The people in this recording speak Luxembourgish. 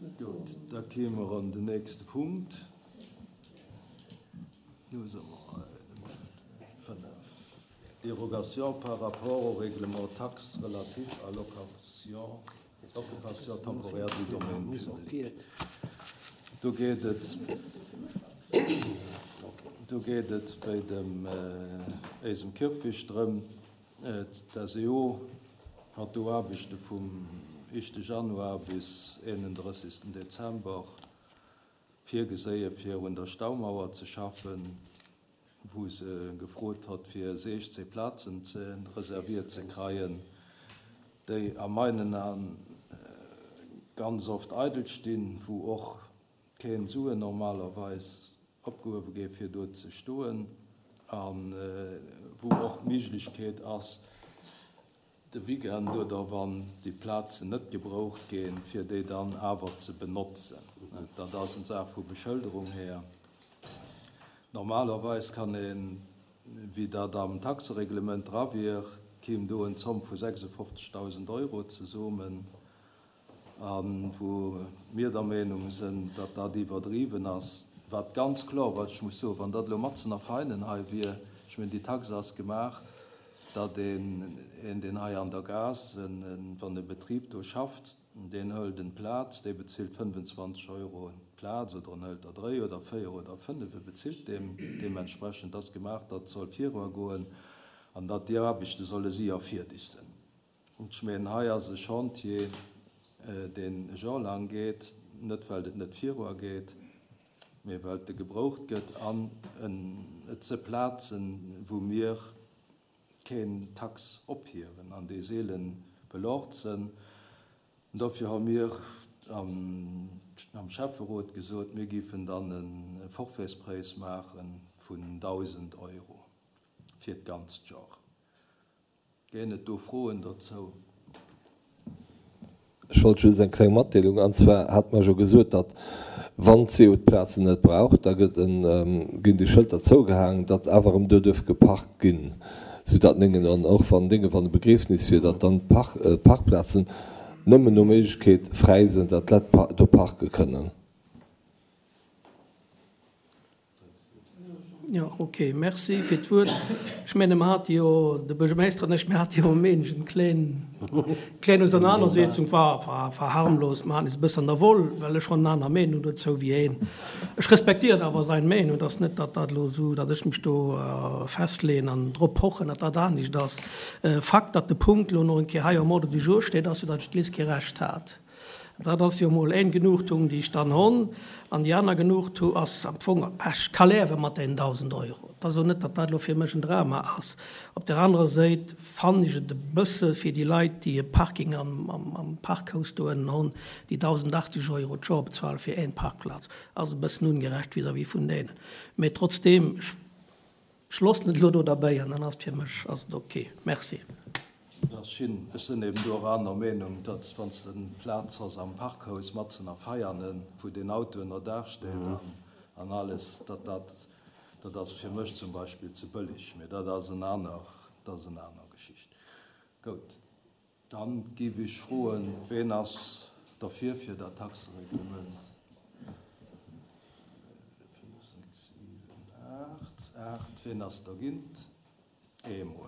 Gutt, da kéime mer an den nächste Punkt. Do si mer bei dem 5, Dérogation par rapport au règlement taxe relatif à l'occupation temporaire du domaine public. Do geet et, do geet et bei dem éisem Kierfecht drëm, D'SEO hat do Aarbechte vum éischte Januar bis 31 Dezember virgeséie fir un der Staumauer ze schaffen, wou se gefrot hat fir 16 Plazen ze reserviert ze kreien, déi a meinen An ganz oft eidel stinn, wou och keen Suen normalerweis opgehuewe géif fir do ze stoen a wou och d'Méiglechkeet ass de Weekend oder wann déi Plazen net gebroucht ginn, fir déi dann awer ze benotzen. Dat ass eng Saach vu Beschëlderung här. Normalerweis kann een, wéi dat am Taxereglement dra wier, kéim do en Zomm vu 56.000 Euro zesummen. A wou mir der Meenung sinn, datt dat iwwerdriwwen ass, wat ganz kloer, wat ech muss soen, wann dat elo matzen a Veinen hei wier, ech mengen, déi Taxe ass gemaach, datt een, een deen hei an der Gaass, wann e Betrib do schafft, deen hëlt en d'Plaz, dee bezilt 25 Euro d'Plaz oder en hëlt der dréi oder véier oder fënnef, e bezilt deem deementsprechend. Ass gemaach, datt soll viruagoen an datt déi Aarbechte solle séier fierdeg sinn. Ech mengen, hei ass e Chantier, deen e Joer laang geet, net well et net viruageet, mee well e gebroucht gëtt an et si Plazen, wou mir keen Tax ophiewen an déi seele belort sinn. Dofir hu mir am Schäfferot gesot, mir géifen dann e Forfaitspräis maache vun 1.000 Euro fir d'ganzt Joer. Ginn et do Froen dozou? Ech wollt just eng kleng Matdeelung, an zwar hate mer jo gesot, datt wann d'SEO d'Plazen net brauch, da gëtt en, ginn déi Schëlter zougehaangen, datt awer erëm do duerf geparkt ginn, soudatt néngen, an och wann dénge wann e Begriefnis wier, datt dann d'Parkplazen nëmmen no Méiglechkeet fräi sinn, datt d'Lett do parke kënnen. Jo, ok, merci fir d'Wuert. Ech menge mer hate jo, de Buergermeeschter an ech, mir hate jo e Méindeg eng kléin, kléin Ausernanersetzung, war, war, war harmlos, mer haten eis e bëssen an der Woll, well ech schonn en aner Meenung dozou wéi heen. Ech respektieren awer sein Meenung, et ass net, datt dat elo esou, datt ech mech do festleeën an drop pochen, datt dat anescht ass. Fakt, datt de Punkt elo nach eng Kéier hei um Ordre du jour steet, ass jo, datt ech d'Liz kee Recht hat. Dat ass jo emol éng Genugtuung, déi ech dann honn. An déi aner Genugtuung ass am Fong, ech ka lewe mat deenen 1.000 Euro. Et ass elo net, datt dat elo fir mech en Drama ass. Op där anerer Séit fannen ech et e bësse fir déi Leit, déi e Parking am Parkhaus do ënnen honn, déi 1.080 Euro d'Joer bezuale fir éng Parkplaz, ass e bëssen ungerecht vis-à-vis vun deenen. Mee trotzdeem, ech. Ech loossen et elo do derbäi an dann ass et fir mech ass et ok. Merci. Dat ass schin. Ech sinn eben do och aner Meenung, datt wann s de Plaz has am Parkhaus matzen a Veianen, wou deen Auto ënner Daach steet an alles, datt dat, dat ass fir mech zum Beispill ze bëllig. Mee dat ass en aner, dat ass en aner Geschicht. Gout. Dann géif ech froen, Ween ass derfir fir dat Taxereglement? 5, 6, 7, 8, 8. Ween ass dergint? Eemol.